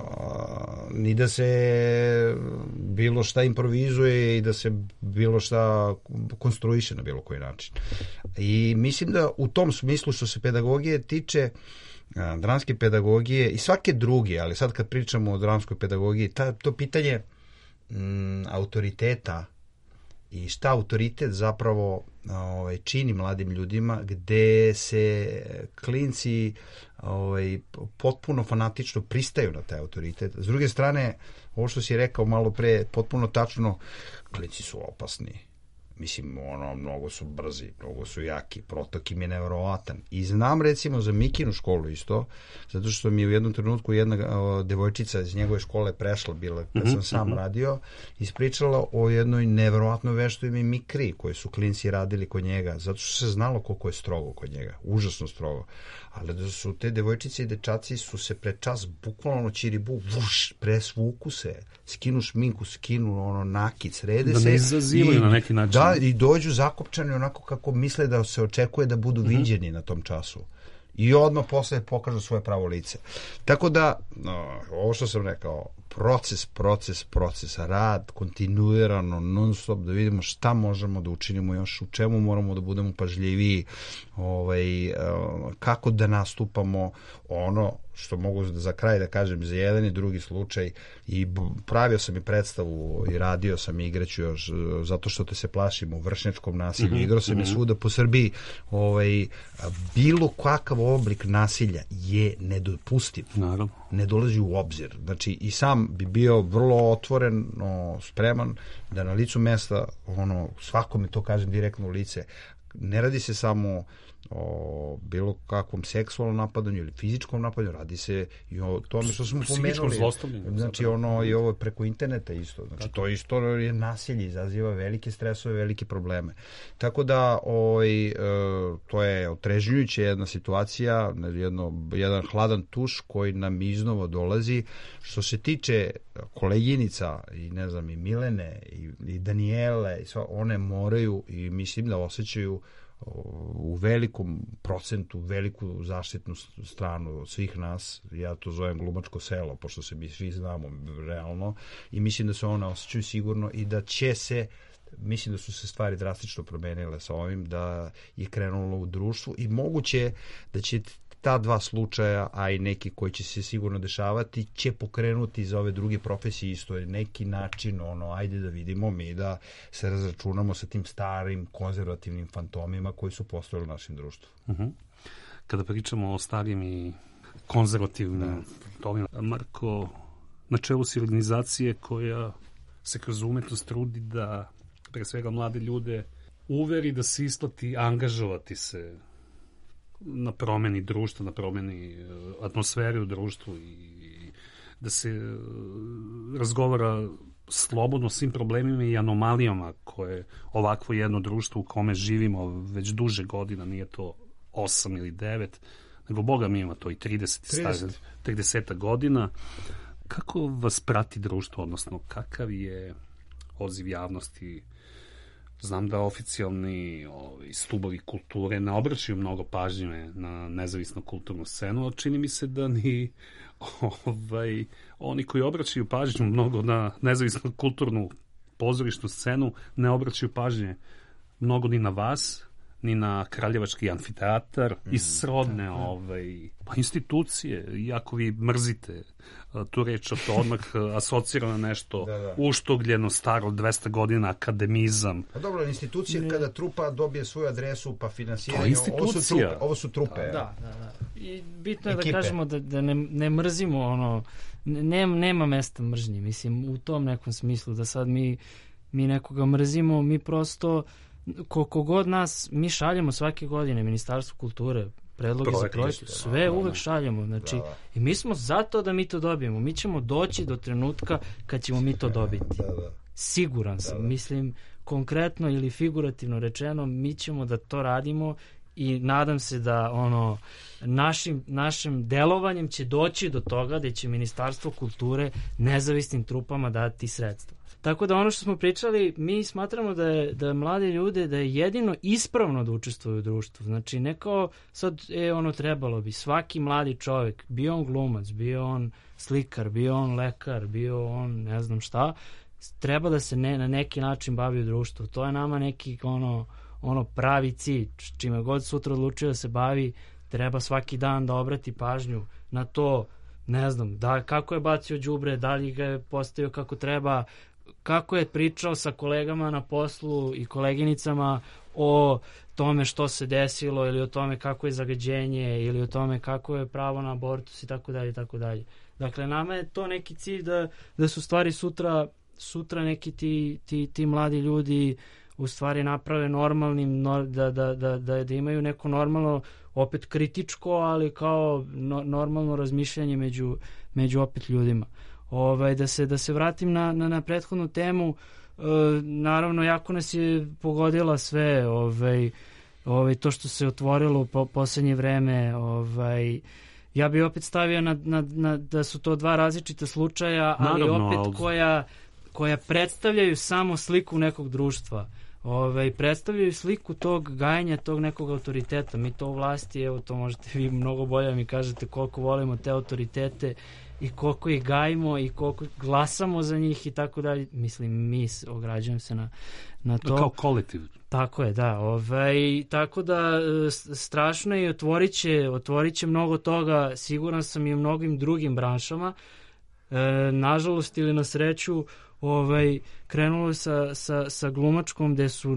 ni da se bilo šta improvizuje i da se bilo šta konstruiše na bilo koji način. I mislim da u tom smislu što se pedagogije tiče, uh, dramske pedagogije i svake druge, ali sad kad pričamo o dramskoj pedagogiji, ta, to pitanje mm, autoriteta i šta autoritet zapravo ovaj, čini mladim ljudima, gde se klinci ovaj, potpuno fanatično pristaju na taj autoritet. S druge strane, ovo što si rekao malo pre, potpuno tačno, klinci su opasni. Mislim, ono, mnogo su brzi, mnogo su jaki, protok im je nevjerovatan. I znam, recimo, za Mikinu školu isto, zato što mi je u jednom trenutku jedna o, devojčica iz njegove škole prešla, bila, kad sam sam radio, ispričala o jednoj nevjerovatnoj veštoj mi mikri koje su klinci radili kod njega, zato što se znalo koliko je strogo kod njega, užasno strogo. Ali da su te devojčice i dečaci su se pre čas bukvalno čiribu, vuš, presvuku se, skinu šminku, skinu ono nakic, rede da se. Da ne izazivaju na neki način. Da, i dođu zakopčani onako kako misle da se očekuje da budu mm-hmm. viđeni na tom času. I odmah posle pokažu svoje pravo lice. Tako da, no, ovo što sam rekao, proces, proces, proces, rad, kontinuirano, non stop, da vidimo šta možemo da učinimo još, u čemu moramo da budemo pažljiviji, ovaj, kako da nastupamo, ono što mogu za kraj da kažem za jedan i drugi slučaj, i pravio sam i predstavu i radio sam i igraću još zato što te se plašimo vršnjačkom nasilju, mm-hmm. igrao sam mm-hmm. je svuda po Srbiji, ovaj, bilo kakav oblik nasilja je nedopustiv. Naravno. Ne dolazi u obzir. Znači i sam bi bio vrlo otvoren, no, spreman da na licu mesta, ono, svakome to kažem direktno u lice, ne radi se samo o bilo kakvom seksualnom napadanju ili fizičkom napadanju, radi se i o tome što smo pomenuli. Znači ono i ovo preko interneta isto. Znači to isto je nasilje, izaziva velike stresove, velike probleme. Tako da ovaj, to je otrežnjujuća jedna situacija, jedno, jedan hladan tuš koji nam iznova dolazi. Što se tiče koleginica i ne znam i Milene i, i Danijele, i sva, one moraju i mislim da osjećaju u velikom procentu veliku zaštitnu stranu od svih nas. Ja to zovem glumačko selo, pošto se mi svi znamo realno, i mislim da se one osjećaju sigurno i da će se, mislim da su se stvari drastično promenile sa ovim, da je krenulo u društvu i moguće da će ta dva slučaja, a i neki koji će se sigurno dešavati, će pokrenuti za ove druge profesije isto neki način, ono, ajde da vidimo mi da se razračunamo sa tim starim konzervativnim fantomima koji su postojali u našem društvu. Uh-huh. Kada pričamo o starim i konzervativnim fantomima, Marko, na čelu si organizacije koja se kroz umetnost trudi da pre svega mlade ljude uveri da se isplati angažovati se na promeni društva, na promeni atmosfere u društvu i da se razgovara slobodno svim problemima i anomalijama koje ovakvo jedno društvo u kome živimo već duže godina, nije to osam ili devet, nego Boga mi ima to i trideset, trideset godina. Kako vas prati društvo, odnosno kakav je odziv javnosti? Znam da oficijalni ovi, stubovi kulture ne obraćaju mnogo pažnje na nezavisnu kulturnu scenu, ali čini mi se da ni ovaj, oni koji obraćaju pažnju mnogo na nezavisnu kulturnu pozorišnu scenu ne obraćaju pažnje mnogo ni na vas, ni na Kraljevački amfiteatar mm, i srodne ovaj, pa institucije, iako vi mrzite tu reč, to odmah asocira na nešto da, da. uštogljeno, staro, dvesta godina, akademizam. Pa dobro, institucije ne. Kada trupa dobije svoju adresu pa finansiranje, to je institucija. Ovo su trupe. Ovo su trupe da, da, da, da. I bitno je Ekipe. Da kažemo da, da ne, ne mrzimo ono, ne, nema mesta mržnji, mislim, u tom nekom smislu da sad mi, mi nekoga mrzimo, mi prosto koliko god nas, mi šaljemo svake godine Ministarstvo kulture predloge za projekte, sve da, uvek šaljemo, znači, da, da. I mi smo zato da mi to dobijemo, mi ćemo doći do trenutka kad ćemo mi to dobiti. Da, da. Siguran sam, da, da. Mislim, konkretno ili figurativno rečeno, mi ćemo da to radimo i nadam se da ono našim, našim delovanjem će doći do toga da će Ministarstvo kulture nezavisnim trupama dati sredstva. Tako da ono što smo pričali, mi smatramo da je, da mlade ljude, da je jedino ispravno da učestvuju u društvu. Znači, ne kao sad, e, ono, trebalo bi, svaki mladi čovjek, bio on glumac, bio on slikar, bio on lekar, bio on ne znam šta, treba da se ne, na neki način bavi u društvu. To je nama neki, ono, ono pravi cilj, čime god sutra odlučio da se bavi, treba svaki dan da obrati pažnju na to, ne znam, da, kako je bacio đubre, da li ga je postavio kako treba, kako je pričao sa kolegama na poslu i koleginicama o tome što se desilo ili o tome kako je zagađenje ili o tome kako je pravo na abortus i tako dalje i tako dalje. Dakle, nama je to neki cilj da, da su stvari sutra, sutra neki ti, ti, ti mladi ljudi u stvari naprave normalnim, da, da, da, da, da imaju neko normalno, opet kritičko, ali kao no, normalno razmišljanje među, među opet ljudima. Ovaj, da se da se vratim na, na, na prethodnu temu, e, naravno jako nas je pogodila sve ovaj, ovaj, to što se otvorilo po poslednje vreme, ovaj, ja bih opet stavio na, na, na, da su to dva različita slučaja, ali naravno, opet ali... koja, koja predstavljaju samo sliku nekog društva. Ove, predstavljaju sliku tog gajanja, tog nekog autoriteta. Mi to u vlasti, evo to možete vi mnogo bolje mi kažete koliko volimo te autoritete i koliko ih gajimo i koliko glasamo za njih i tako dalje. Mislim, mi ograđujem se na, na to. Kao kolektiv. Tako je, da. Ove, tako da strašno je i otvorit će, otvorit će mnogo toga, siguran sam i u mnogim drugim branšama. E, nažalost ili na sreću, ovaj, krenulo sa, sa, sa glumačkom gde su,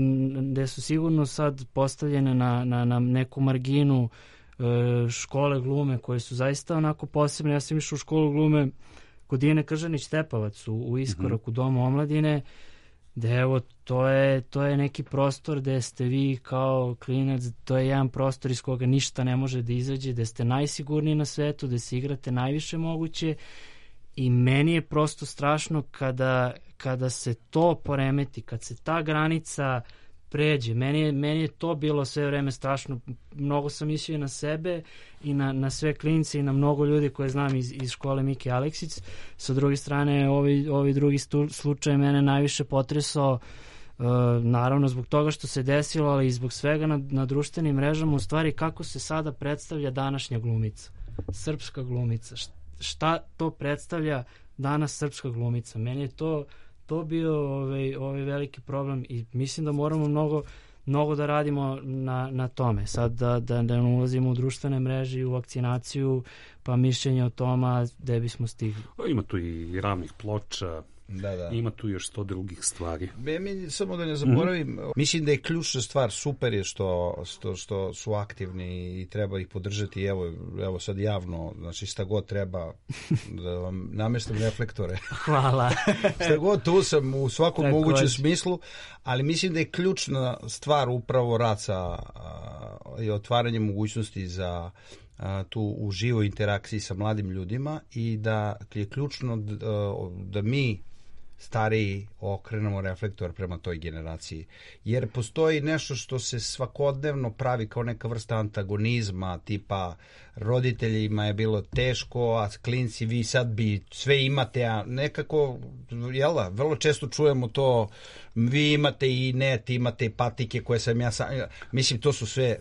gde su sigurno sad postavljene na, na, na neku marginu e, škole glume koje su zaista onako posebne. Ja sam išao u školu glume kod Dijane Kržanić-Stepavac u, u iskoraku mm-hmm. Doma omladine. da evo, to je, to je neki prostor gde ste vi kao klinac, to je jedan prostor iz koga ništa ne može da izađe, gde ste najsigurniji na svetu, gde se igrate najviše moguće i meni je prosto strašno kada, kada se to poremeti, kad se ta granica pređe. Meni je, meni je to bilo sve vreme strašno. Mnogo sam mislio i na sebe i na, na sve klince i na mnogo ljudi koje znam iz, iz škole Miki Aleksić. Sa druge strane, ovi, ovi drugi stu, slučaj mene najviše potresao, uh, naravno zbog toga što se desilo, ali i zbog svega na, na društvenim mrežama, u stvari kako se sada predstavlja današnja glumica, srpska glumica. Šta to predstavlja danas srpska glumica? Meni je to to bio ovaj, ovaj veliki problem i mislim da moramo mnogo, mnogo da radimo na, na tome. Sad da, da, da ne ulazimo u društvene mreže i u vakcinaciju, pa mišljenje o toma gde bismo stigli. Ima tu i ravnih ploča, da, da. Ima tu još sto drugih stvari. Be, mi, samo da ne zaboravim, mm-hmm. mislim da je ključna stvar, super je što, što, što su aktivni i treba ih podržati, evo, evo sad javno, znači šta god treba da vam namestim reflektore. Hvala. Šta god, tu sam u svakom Tako mogućem je. smislu, ali mislim da je ključna stvar upravo rad sa i otvaranje mogućnosti za a, tu u živoj interakciji sa mladim ljudima i da je ključno da, da mi stariji okrenemo reflektor prema toj generaciji. Jer postoji nešto što se svakodnevno pravi kao neka vrsta antagonizma, tipa roditeljima je bilo teško, a klinci vi sad bi sve imate, a nekako, jel da, vrlo često čujemo to, vi imate i net, imate i patike koje sam ja sam, mislim to su sve,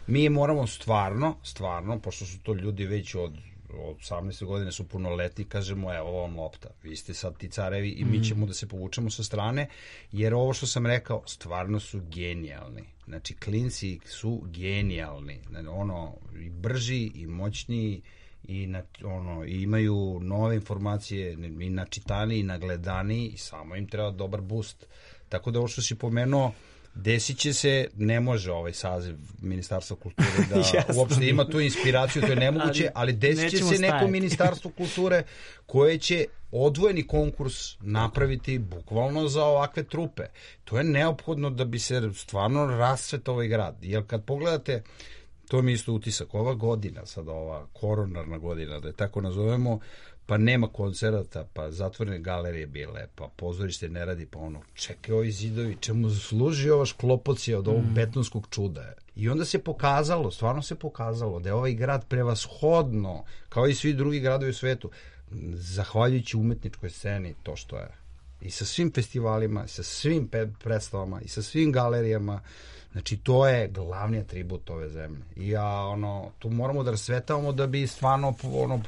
mi moramo stvarno, stvarno, pošto su to ljudi već od od osamnaeste godine su punoletni, kažemo evo vam lopta, vi ste sad ti carevi i mi ćemo da se povučemo sa strane, jer ovo što sam rekao, stvarno su genijalni. Znači, klinci su genijalni. Ono, i brži, i moćniji, i, na, ono, i imaju nove informacije, i načitani, i nagledani, i samo im treba dobar boost. Tako da ovo što si pomenuo, desit će se, ne može ovaj saziv Ministarstva kulture da uopšte ima tu inspiraciju, to je nemoguće, ali desit će se neko stajati. Ministarstvo kulture koje će odvojeni konkurs napraviti bukvalno za ovakve trupe. To je neophodno da bi se stvarno rascvetao ovaj grad. Jer kad pogledate, to mi isto utisak, ova godina, sad ova koronarna godina, da je tako nazovemo, pa nema koncerata, pa zatvorene galerije bile, pa pozorište ne radi, pa ono, čekaj ovi zidovi, čemu služi ova šklopocija od ovog mm. betonskog čuda? I onda se pokazalo, stvarno se pokazalo da je ovaj grad prevashodno, kao i svi drugi gradovi u svetu, zahvaljujući umetničkoj sceni, to što je. I sa svim festivalima, i sa svim predstavama, i sa svim galerijama, znači to je glavni atribut ove zemlje. I ja, ono, tu moramo da rasvetavamo da bi stvarno, ono,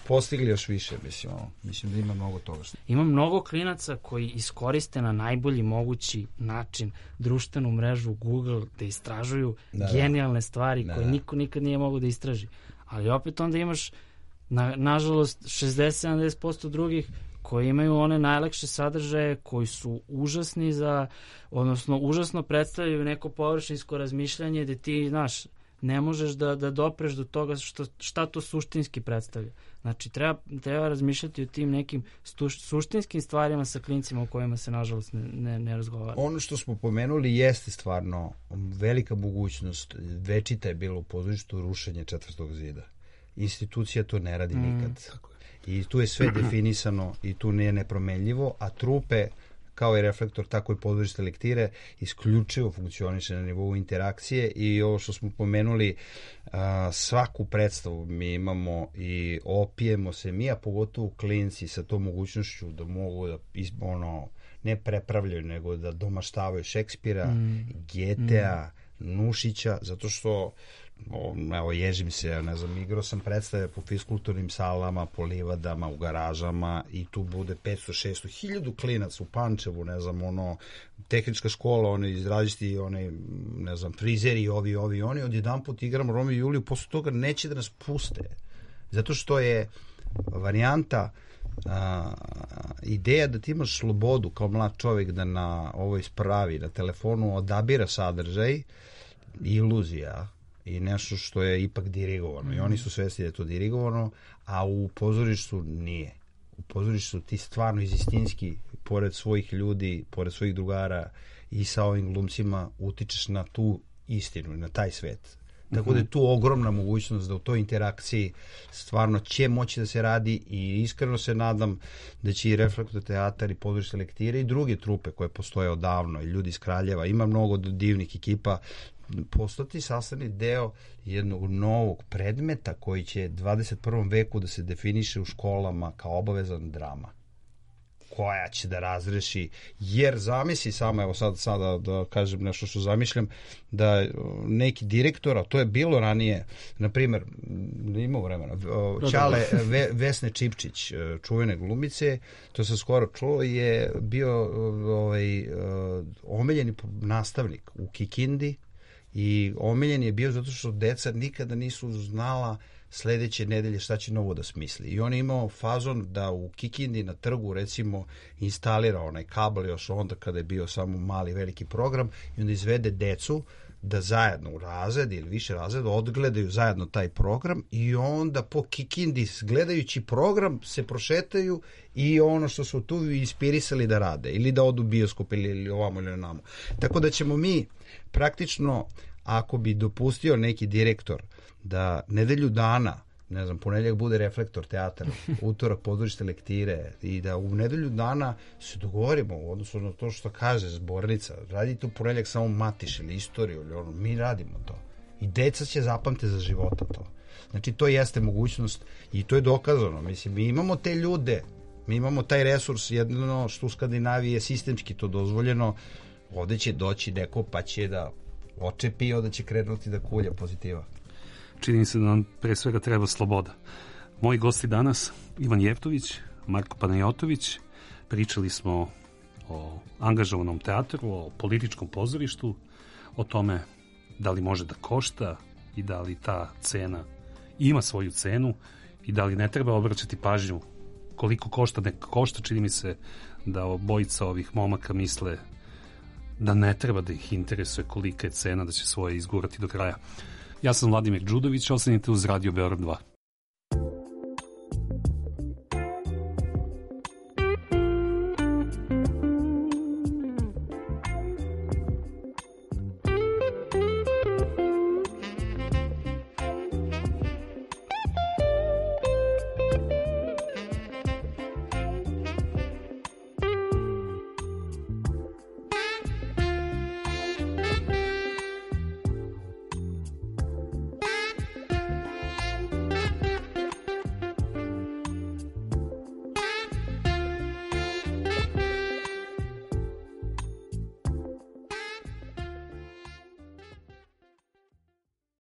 postigli još više, mislim, ono, mislim da ima mnogo toga. Ima mnogo klinaca koji iskoriste na najbolji mogući način društvenu mrežu Google da istražuju da, genijalne stvari da, koje da. niko nikad nije mogao da istraži. Ali opet onda imaš, na, nažalost, šezdeset do sedamdeset posto drugih koji imaju one najlakše sadržaje, koji su užasni za, odnosno užasno predstavljaju neko površinsko razmišljanje gde ti, znaš, ne možeš da, da dopreš do toga što, šta to suštinski predstavlja. Znači, treba, treba razmišljati o tim nekim stuš, suštinskim stvarima sa klincima o kojima se, nažalost, ne, ne, ne razgovara. Ono što smo pomenuli jeste stvarno velika mogućnost. Večita je bilo u pozorištu rušenje četvrtog zida. Institucija to ne radi mm. nikad. I tu je sve definisano i tu nije nepromenljivo, a trupe, kao i reflektor, tako i pozorište lektire, isključivo funkcioniše na nivou interakcije i ovo što smo pomenuli, a, svaku predstavu mi imamo i opijemo se mi, a pogotovo klinci sa tom mogućnošću da mogu da ono, ne prepravljaju, nego da domaštavaju Šekspira, mm. Getea, mm. Nušića, zato što O, evo, ježim se, ja ne znam, igrao sam predstave po fiskulturnim salama, po livadama, u garažama i tu bude petsto šesto hiljadu klinac u Pančevu, ne znam, ono, tehnička škola, oni izraziti, oni, ne znam, frizeri, ovi, ovi, oni, odjedan put igramo Romeo i Juliju, posle toga neće da nas puste, zato što je varijanta, a, ideja da ti imaš slobodu kao mlad čovjek da na ovoj spravi, na telefonu odabira sadržaj, iluzija, i nešto što je ipak dirigovano. Mm. I oni su svesni da je to dirigovano, a u pozorištu nije. u pozorištu ti stvarno iz istinski, pored svojih ljudi, pored svojih drugara i sa ovim glumcima utičeš na tu istinu, na taj svet. Tako da je tu ogromna mogućnost da u toj interakciji stvarno će moći da se radi i iskreno se nadam da će i Reflektor teatar i pozorište Lektire i druge trupe koje postoje odavno i ljudi iz Kraljeva, ima mnogo divnih ekipa, postati sastavni deo jednog novog predmeta koji će dvadeset prvom veku da se definiše u školama kao obavezan drama koja će da razreši, jer zamisli samo, evo sad sada da kažem nešto što zamišljam, da neki direktor, a to je bilo ranije, na primjer, da imamo vremena, Ćale Ve, Vesne Čipčić, čuvene glumice, to se skoro čulo, je bio ovaj, omiljeni nastavnik u Kikindi i omiljen je bio zato što deca nikada nisu znala sledeće nedelje šta će novo da smisli. I on je imao fazon da u Kikindi na trgu recimo instalira onaj kabel još onda kada je bio samo mali veliki program i onda izvede decu da zajedno u razred ili više razreda odgledaju zajedno taj program i onda po Kikindi gledajući program se prošetaju i ono što su tu inspirisali da rade ili da odu u bioskop ili, ili ovamo ili namo. Tako da ćemo mi praktično, ako bi dopustio neki direktor da nedelju dana, ne znam, ponedjeljak bude Reflektor teatar, utorak pozorište Lektire i da u nedelju dana se dogovorimo u odnosu na to što kaže zbornica, radite u ponedjeljak samo matiš ili istoriju ili ono, mi radimo to. I deca će zapamte za života to. Znači to jeste mogućnost i to je dokazano. Mislim, mi imamo te ljude, mi imamo taj resurs, jedno što u Skandinaviji je sistemski to dozvoljeno, ovde će doći neko pa će da očepi i onda će krenuti da kulja pozitiva. Čini se da nam pre svega treba sloboda. Moji gosti danas, Ivan Jevtović, Marko Panajotović, pričali smo o angažovanom teatru, o političkom pozorištu, o tome da li može da košta i da li ta cena ima svoju cenu i da li ne treba obraćati pažnju koliko košta, neka košta. Čini mi se da obojica ovih momaka misle da ne treba da ih interesuje kolika je cena, da će svoje izgurati do kraja. Ja sam Vladimir Đudović, ostanite uz Radio Beograd dva.